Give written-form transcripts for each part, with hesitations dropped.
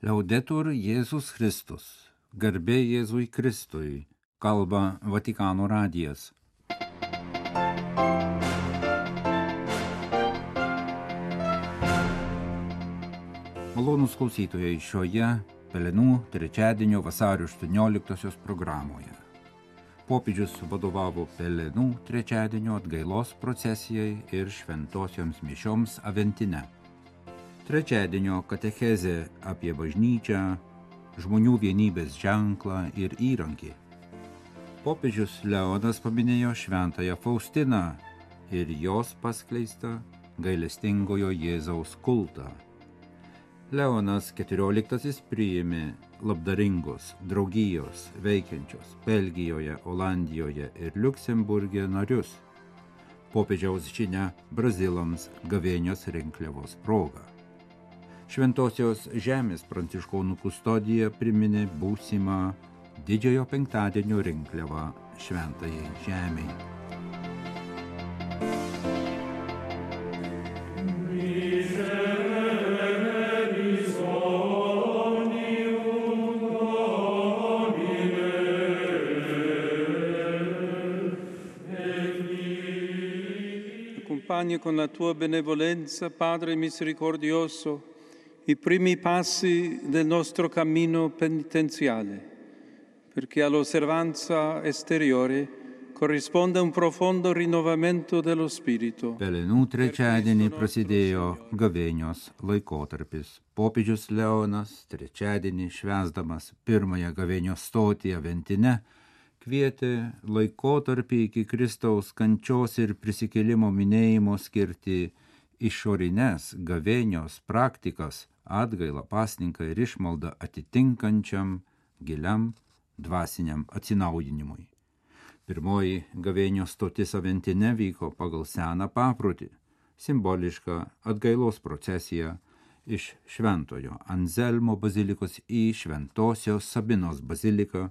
Liaudetur Jėzus Kristus, garbė Jėzui Kristui, kalba Vatikano radijas. Malonūs klausytojai šioje Pelenų trečiadienio vasario 18 programoje. Popiežius vadovavo Pelenų trečiadienio atgailos procesijai ir šventosioms mišioms Aventine. Trečiadienio katechezė apie bažnyčią, žmonių vienybės ženklą ir įrankį. Popiežius Leonas paminėjo šventąją Faustiną ir jos paskleistą gailestingojo Jėzaus kultą. Leonas XIV priėmė labdaringos draugijos veikiančios Belgijoje, Olandijoje ir Liuksemburge narius. Popiežiaus žinia brazilams gavėnios rinkliavos proga. Šventosios žemės pranciškonų kustodija priminė būsimą didžiojo penktadienio rinkliavą šventajai žemei. Accompagni con la tua benevolenza, Padre misericordioso, i primi passi del nostro cammino penitenziale, perché all'osservanza esteriore corrisponde un profondo rinnovamento dello spirito. Pelenų trečiadienį prasidėjo gavėnios laikotarpis. Popiežius Leonas trečiadienį švęsdamas pirmąją gavėnios stotį Aventine kvietė laikotarpį iki Kristaus kančios ir prisikėlimo minėjimo skirti išorines gavėnios praktikas, atgailą, pasninką ir išmaldą atitinkančiam giliam dvasiniam atsinaujinimui. Pirmoji gavėnios stotis Aventine vyko pagal seną paprotį, simbolišką atgailos procesiją iš Šventojo Anzelmo bazilikos į Šventosios Sabinos baziliką,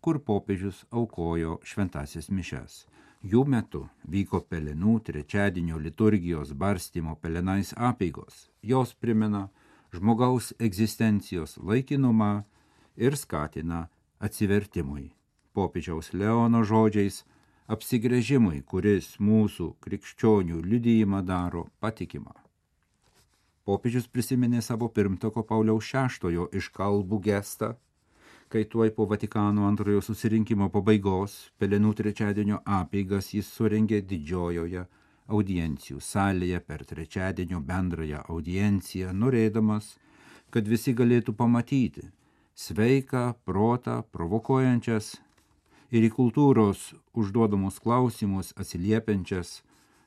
kur popiežius aukojo šventąsias mišias. Jų metu vyko Pelenų trečiadienio liturgijos barstymo pelenais apeigos. Jos primena žmogaus egzistencijos laikinumą ir skatina atsivertimui. Popiežiaus Leono žodžiais apsigręžimui, kuris mūsų krikščionių liudijimą daro patikimą. Popiežius prisiminė savo pirmtako Pauliaus VI iškalbų gestą, kai tuoj po Vatikano antrojo susirinkimo pabaigos Pelenų trečiadienio apeigas jis surengė didžiojoje audiencijų salėje per trečiadienio bendrąją audienciją, norėdamas, kad visi galėtų pamatyti sveiką protą provokuojančias ir į kultūros užduodamus klausimus atsiliepiančias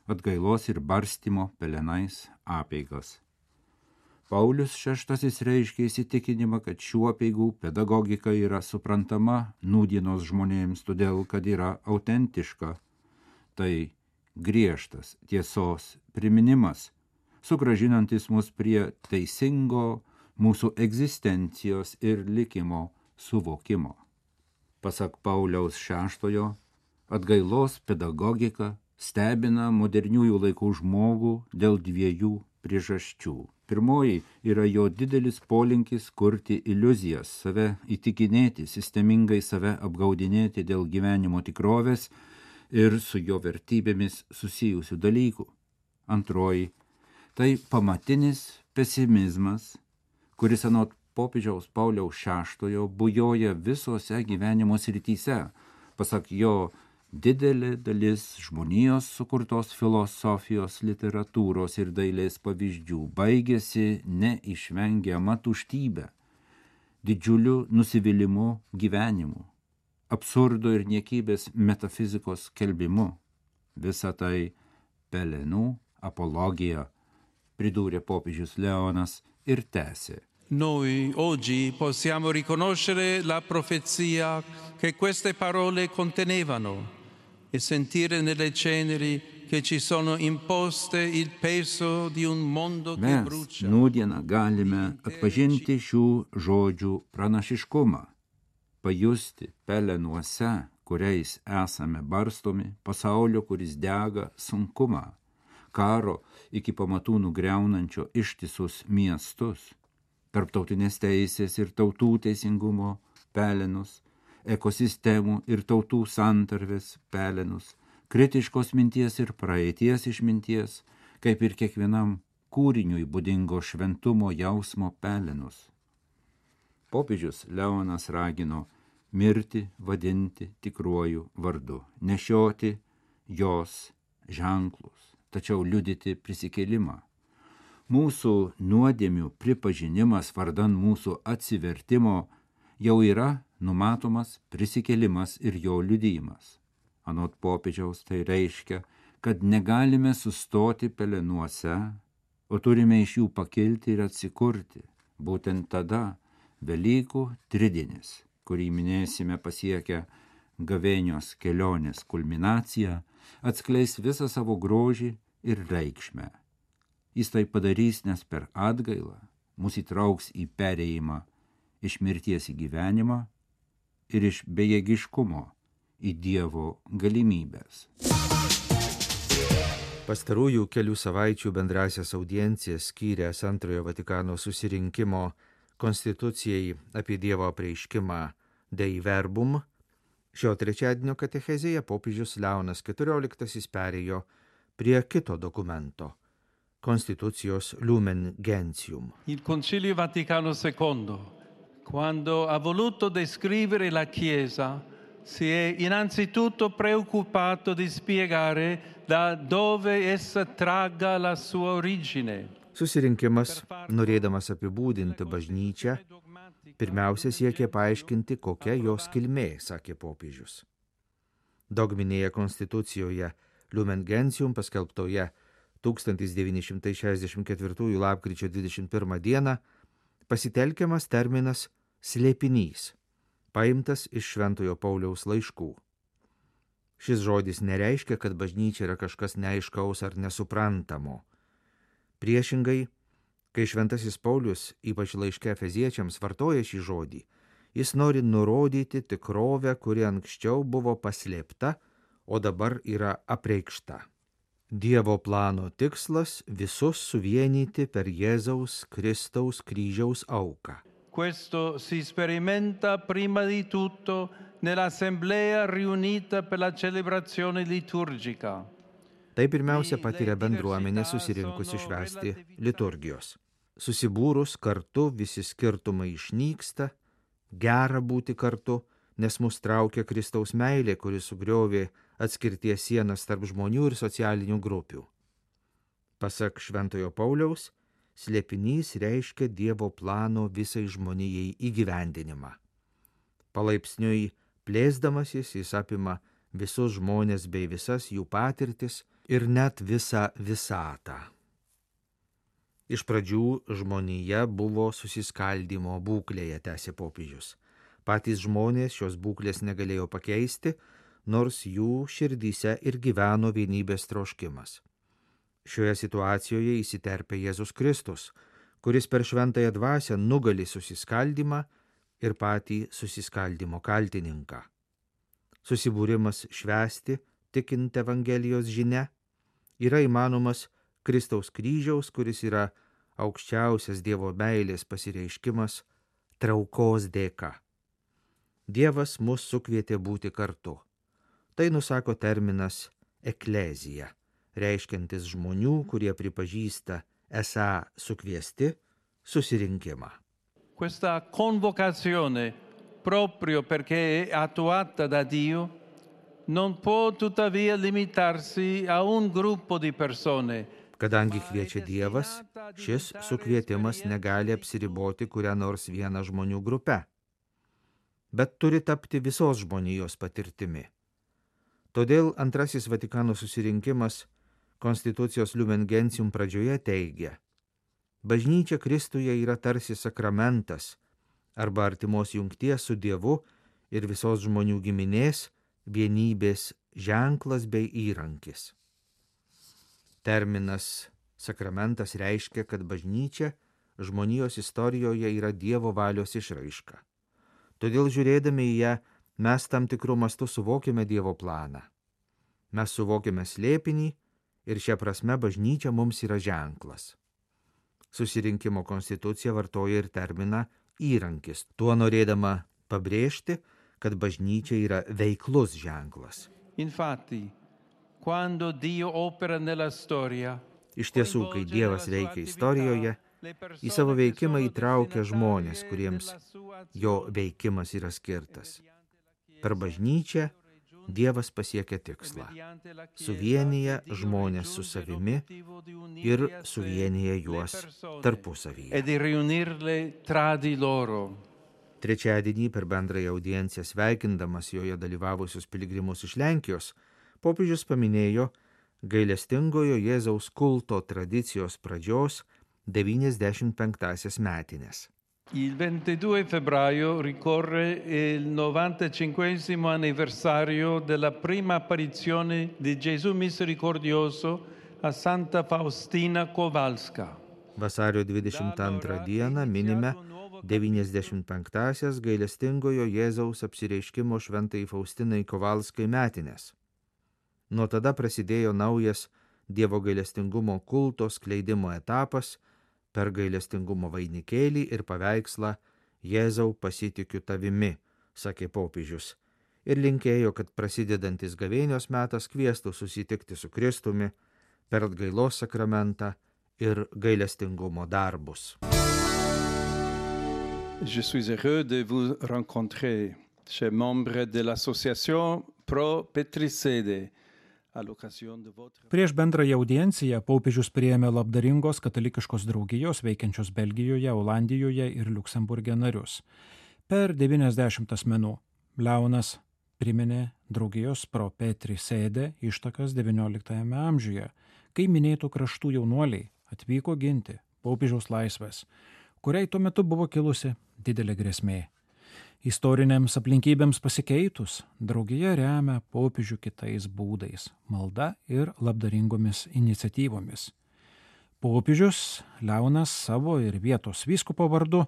atgailos ir barstymo pelenais apeigas. Paulius VI reiškė įsitikinimą, kad šių apeigų pedagogika yra suprantama nūdienos žmonėms, todėl kad yra autentiška. Tai griežtas tiesos priminimas, sugrąžinantis mus prie teisingo mūsų egzistencijos ir likimo suvokimo. Pasak Pauliaus VI, atgailos pedagogika stebina moderniųjų laikų žmogų dėl dviejų priežasčių. Pirmoji yra jo didelis polinkis kurti iliuzijas, save įtikinėti, sistemingai save apgaudinėti dėl gyvenimo tikrovės ir su jo vertybėmis susijusių dalykų. Antroji tai pamatinis pesimizmas, kuris anot popiežiaus Pauliaus VI bujoja visose gyvenimo srityse. Pasak jo, didelė dalis žmonijos sukurtos filosofijos, literatūros ir dailės pavyzdžių baigėsi neišvengiama tuštybė, didžiuliu nusivylimu gyvenimu, absurdo ir niekybės metafizikos skelbimu. Visa tai Pelenų apologija, pridūrė popiežius Leonas ir tęsė. Noi oggi possiamo riconoscere la profezia che queste parole contenevano e sentire nelle ceneri che ci sono imposte il peso di un mondo che brucia. Mes nūdieną galime atpažinti šių žodžių pranašiškumą, pajusti pelenuose, kuriais esame barstomi, pasaulio, kuris dega, sunkumą, karo iki pamatų nugriaunančio ištisus miestus. tarptautinės teisės ir tautų teisingumo pelenus, ekosistemų ir tautų santarvės pelenus, kritiškos minties ir praeities išminties, kaip ir kiekvienam kūriniui būdingo šventumo jausmo pelenus. Popiežius Leonas ragino mirtį vadinti tikruoju vardu, nešioti jos ženklus, tačiau liudyti prisikėlimą. Mūsų nuodėmių pripažinimas vardan mūsų atsivertimo jau yra numatomas prisikėlimas ir jo liudijimas. Anot popiežiaus tai reiškia, kad negalime sustoti pelenuose, o turime iš jų pakilti ir atsikurti. Būtent tada Velykų tridienis, kurį minėsime pasiekę gavėnios kelionės kulminaciją, atskleis visą savo grožį ir reikšmę. Jis tai padarys, nes per atgailą mus įtrauks į perėjimą iš mirties į gyvenimą ir iš bejėgiškumo į Dievo galimybės. Pastarųjų kelių savaičių bendrasias audiencijas skyręs Antrojo Vatikano susirinkimo Konstitucijai apie Dievo apreiškimą Dei Verbum, šio trečiadienio katechezėje popiežius Leonas XIV perėjo prie kito dokumento – Konstitucijos Lumen Gentium. Il Concilio Vaticano II, quando ha voluto descrivere la Chiesa, si è innanzitutto preoccupato di spiegare da dove essa tragga la sua origine. Susirinkimas, norėdamas apibūdinti bažnyčią, pirmiausia siekė paaiškinti, kokia jos kilmė, sakė popiežius. Dogminėje konstitucijoje Lumen Gentium paskelbtoje 1964 lapkričio 21 dieną pasitelkiamas terminas slėpinys, paimtas iš Šventojo Pauliaus laiškų. Šis žodis nereiškia, kad bažnyčia yra kažkas neaiškaus ar nesuprantamo. Priešingai, kai Šventasis Paulius, ypač laiške Efeziečiams, vartoja šį žodį, jis nori nurodyti tikrovę, kuri anksčiau buvo paslėpta, o dabar yra apreikšta. Dievo plano tikslas visus suvienyti per Jėzaus Kristaus kryžiaus auką. Questo si sperimenta prima di tutto nell'assemblea riunita per la celebrazione liturgica. Tai pirmiausia patiria bendruomenė susirinkusi švęsti liturgijos. Susibūrus kartu visi skirtumai išnyksta, gera būti kartu, nes mus traukia Kristaus meilė, kuri sugriovė atskirties sienas tarp žmonių ir socialinių grupių. Pasak Šventojo Pauliaus, slėpinys reiškia Dievo plano visai žmonijai įgyvendinimą. Palaipsniui plėsdamasis jis apima visus žmonės bei visas jų patirtis ir net visą visatą. Iš pradžių žmonija buvo susiskaldymo būklėje, tęsė popiežius. Patys žmonės šios būklės negalėjo pakeisti, nors jų širdyse ir gyveno vienybės troškimas. Šioje situacijoje įsiterpia Jėzus Kristus, kuris per šventąją dvasią nugali susiskaldymą ir patį susiskaldymo kaltininką. Susibūrimas švęsti, tikint Evangelijos žinia, yra įmanomas Kristaus kryžiaus, kuris yra aukščiausias Dievo meilės pasireiškimas, traukos dėka. Dievas mus sukvietė būti kartu. Tai nusako terminas eklezija, reiškiantis žmonių, kurie pripažįsta esą sukviesti, susirinkimą. Questa convocazione, proprio perché è attuata da Dio, non può tuttavia limitarsi a un gruppo di persone. Kadangi kviečia Dievas, šis sukvietimas negali apsiriboti kurią nors vieną žmonių grupę, bet turi tapti visos žmonijos patirtimi. Todėl antrasis Vatikano susirinkimas Konstitucijos Lumen Gentium pradžioje teigia: bažnyčia Kristuje yra tarsi sakramentas arba artimos jungties su Dievu ir visos žmonių giminės vienybės ženklas bei įrankis. Terminas sakramentas reiškia, kad bažnyčia žmonijos istorijoje yra Dievo valios išraiška. Todėl žiūrėdami į ją, mes tam tikru mastu suvokiame Dievo planą. Mes suvokiame slėpinį ir šia prasme bažnyčia mums yra ženklas. Susirinkimo konstitucija vartoja ir terminą įrankis, tuo norėdama pabrėžti, kad bažnyčia yra veiklus ženklas. Infatti, quando Dio opera nella storia, Iš tiesų, kai Dievas veikia istorijoje, į savo veikimą įtraukia žmonės, kuriems jo veikimas yra skirtas. Per bažnyčią Dievas pasiekia tikslą. Suvienyje žmonės su savimi ir suvienyje juos tarpusavyje. Trečiadienį per bendrąją audienciją sveikindamas joje dalyvavusius piligrimus iš Lenkijos, popiežius paminėjo gailestingojo Jėzaus kulto tradicijos pradžios 95 metines. Il 22 febbraio ricorre il 95 anniversario della prima apparizione di Gesù misericordioso a Santa Faustina Kowalska. Vasario 22 dieną minime 95-asias gailestingojo Jėzaus apsireiškimo šventai Faustinai Kowalskai metines. Nuo tada prasidėjo naujas Dievo gailestingumo kulto skleidimo etapas per gailestingumo vainikėlį ir paveikslą Jėzau pasitikiu tavimi, sakė popiežius, ir linkėjo, kad prasidedantis gavėnios metas kviestų susitikti su Kristumi per atgailos sakramentą ir gailestingumo darbus. Je suis heureux de vous rencontrer, chers membres de l'association Pro Petricede. Prieš bendrąją audienciją popiežius priėmė labdaringos katalikiškos draugijos veikiančios Belgijoje, Olandijoje ir Liuksemburge narius. Per 90 asmenų Leonas priminė draugijos Pro Petricede ištakas XIX amžiuje, kai minėtų kraštų jaunuoliai atvyko ginti popiežiaus laisvės, kuriai tuo metu buvo kilusi didelė grėsmė. Istorinėms aplinkybėms pasikeitus, draugija remia popiežių kitais būdais – malda ir labdaringomis iniciatyvomis. Popiežius Leonas savo ir vietos vyskupo vardu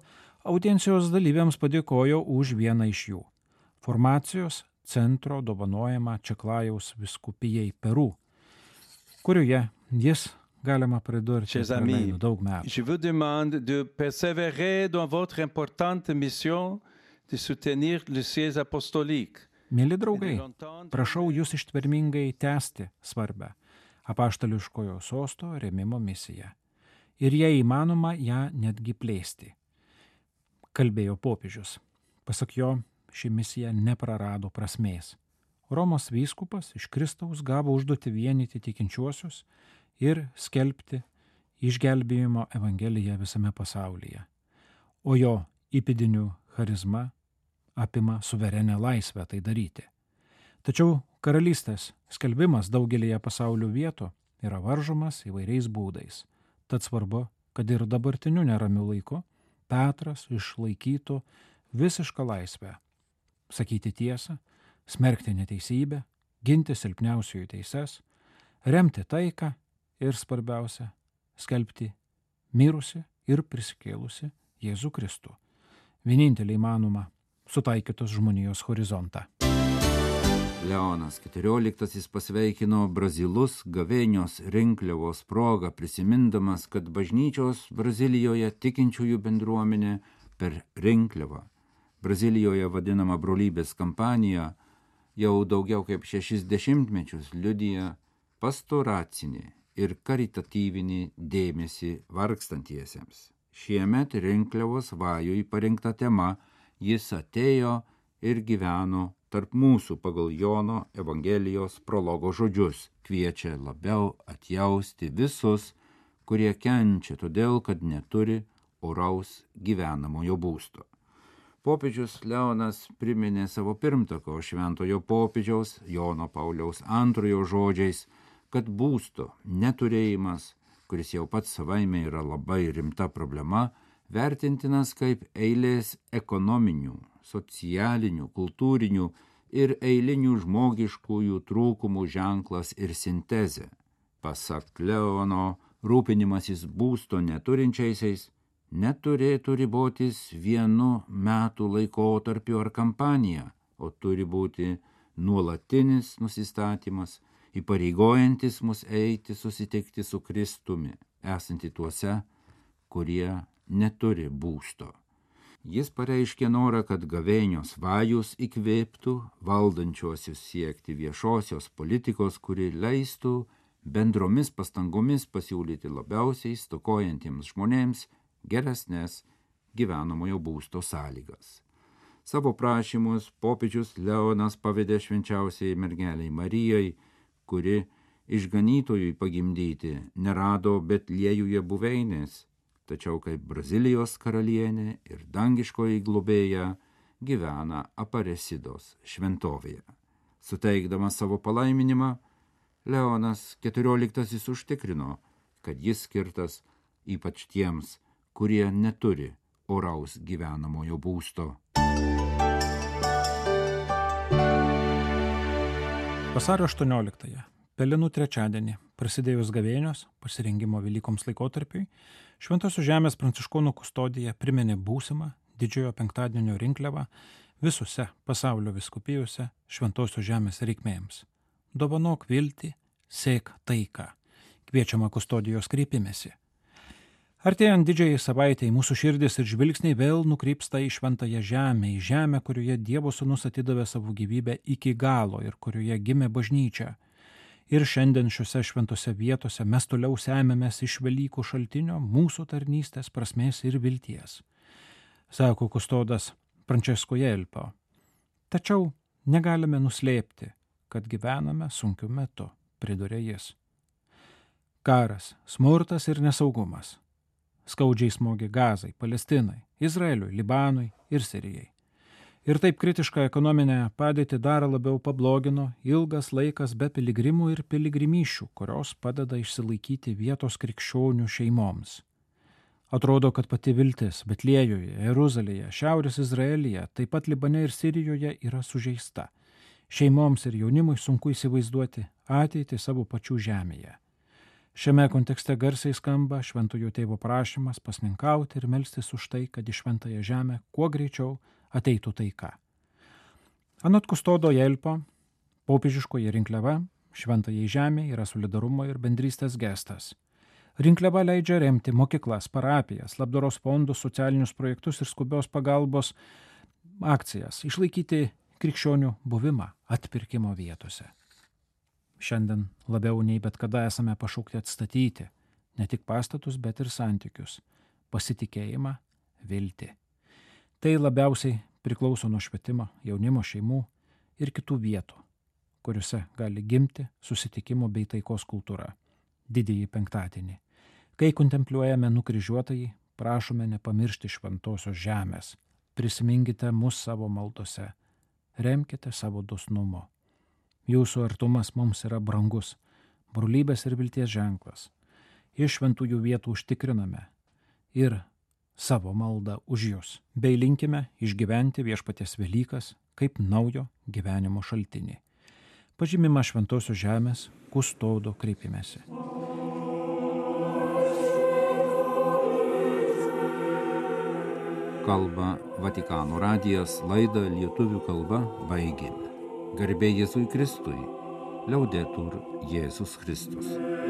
audiencijos dalyviams padėkojo už vieną iš jų – formacijos centro dovanojamą Čeklajaus vyskupijai Peru, kurioje jis, galima pridurti, praleido daug metų. Je vous demande de persévérer dans votre importante mission de soutenir le siège apostolique. Mėly draugai, prašau jūs ištvermingai tęsti svarbę apaštališkojo sosto rėmimo misiją ir jei įmanoma ją netgi plėsti. Kalbėjo popiežius. Pasak jo, ši misija neprarado prasmės. Romos vyskupas iš Kristaus gavo užduotį vienyti tikinčiuosius ir skelbti išgelbėjimo evangeliją visame pasaulyje. O jo įpėdinių charizma apima suverenę laisvę tai daryti. Tačiau karalystės skelbimas daugelėje pasaulio vietų yra varžomas įvairiais būdais. Tad svarbu, kad ir dabartiniu neramiu laiku Petras išlaikytų visišką laisvę. Sakyti tiesą, smerkti neteisybę, ginti silpniausiųjų teises, remti taiką ir svarbiausia, skelbti mirusi ir prisikėlusi Jėzų Kristų. Vienintelį įmanoma sutaikytos žmonijos horizontą. Leonas XIV pasveikino brazilus gavėnios rinkliavos progą, prisimindamas, kad bažnyčios Brazilijoje tikinčiųjų bendruomenė per rinkliavą, Brazilijoje vadinama brolybės kampanija, jau daugiau kaip 60 mečius liudija pastoracinį ir karitatyvinį dėmesį vargstantiesiems. Šiemet rinkliavos vajui parinkta tema Jis atėjo ir gyveno tarp mūsų pagal Jono Evangelijos prologo žodžius, kviečia labiau atjausti visus, kurie kenčia todėl, kad neturi oraus gyvenamojo būsto. Popiežius Leonas priminė savo pirmtako šventojo popiežiaus Jono Pauliaus II žodžiais, kad būsto neturėjimas, kuris jau pats savaime yra labai rimta problema, vertintinas kaip eilės ekonominių, socialinių, kultūrinių ir eilinių žmogiškųjų trūkumų ženklas ir sintezė. Pasak Leono, rūpinimasis būsto neturinčiaisiais neturėtų ribotis vienu metų laikotarpiu ar kampanija, o turi būti nuolatinis nusistatymas, įpareigojantis mus eiti susitikti su Kristumi, esanti tuose, kurie neturi būsto. Jis pareiškė norą, kad gavėnios vajus įkvėptų valdančiuosius siekti viešosios politikos, kuri leistų bendromis pastangomis pasiūlyti labiausiai stokojantiems žmonėms geresnės gyvenamojo būsto sąlygas. Savo prašymus popiežius Leonas pavedė švenčiausiai mergeliai Marijai, kuri išganytojui pagimdyti nerado Betliejuje buveinės, tačiau kaip Brazilijos karalienė ir dangiškoji globėja gyvena Aparesidos šventovėje. Suteikdamas savo palaiminimą, Leonas XIV užtikrino, kad jis skirtas ypač tiems, kurie neturi oraus gyvenamojo būsto. Vasario 18-ąją, Pelenų trečiadienį, prasidėjus gavėnios, pasirengimo Velykoms laikotarpiui, Šventosios žemės pranciškonų kustodija priminė būsimą didžiojo penktadienio rinkliavą visose pasaulio vyskupijose Šventosios žemės reikmėms. Dovanok viltį, sėk taiką, kviečiama kustodijos kreipimesi. Artėjant didžiajai savaitei mūsų širdis ir žvilgsniai vėl nukrypsta į šventąją žemę, į žemę, kurioje Dievo Sūnus atidavė savo gyvybę iki galo ir kurioje gimė bažnyčia. Ir šiandien šiuose šventose vietose mes toliau semiamės iš Velykų šaltinio mūsų tarnystės prasmės ir vilties, sako kustodas Francesco Jelpo. Tačiau negalime nuslėpti, kad gyvename sunkiu metu, priduria jis. Karas, smurtas ir nesaugumas. Skaudžiai smogė Gazai, Palestinai, Izraeliui, Libanui ir Sirijai. Ir taip kritišką ekonominę padėtį dar labiau pablogino ilgas laikas be piligrimų ir piligrimyšių, kurios padeda išsilaikyti vietos krikščionių šeimoms. Atrodo, kad pati viltis Betliejuje, Jeruzalėje, Šiaurės Izraelyje, taip pat Libane ir Sirijoje yra sužeista. Šeimoms ir jaunimui sunku įsivaizduoti ateitį savo pačių žemėje. Šiame kontekste garsiai skamba Šventojo Tėvo prašymas pasninkauti ir melstis už tai, kad į šventąją žemę kuo greičiau ateitų taika. Anot kustodo Jelpo, popiežiškoji rinkliava šventajai žemė yra solidarumo ir bendrystės gestas. Rinkliava leidžia remti mokyklas, parapijas, labdaros fondus, socialinius projektus ir skubios pagalbos akcijas, išlaikyti krikščionių buvimą atpirkimo vietose. Šiandien labiau nei bet kada esame pašaukti atstatyti ne tik pastatus, bet ir santykius, pasitikėjimą, viltį. Tai labiausiai priklauso nuo švietimo, jaunimo, šeimų ir kitų vietų, kuriuose gali gimti susitikimo bei taikos kultūra. Didįjį penktadienį. Kai kontempliuojame nukryžiuotąjį, prašome nepamiršti šventosios žemės. Prisiminkite mus savo maldose. Remkite savo dosnumo. Jūsų artumas mums yra brangus, brolybės ir vilties ženklas. Iš šventųjų vietų užtikriname ir savo maldą už jūs, bei linkime išgyventi viešpaties Velykas kaip naujo gyvenimo šaltinį. Pažymima Šventosios žemės kustodo kreipimesi. Kalba Vatikano radijas, laidą lietuvių kalba baigėme. Garbė Jėzui Kristui, Liaudetur Jėzus Kristus.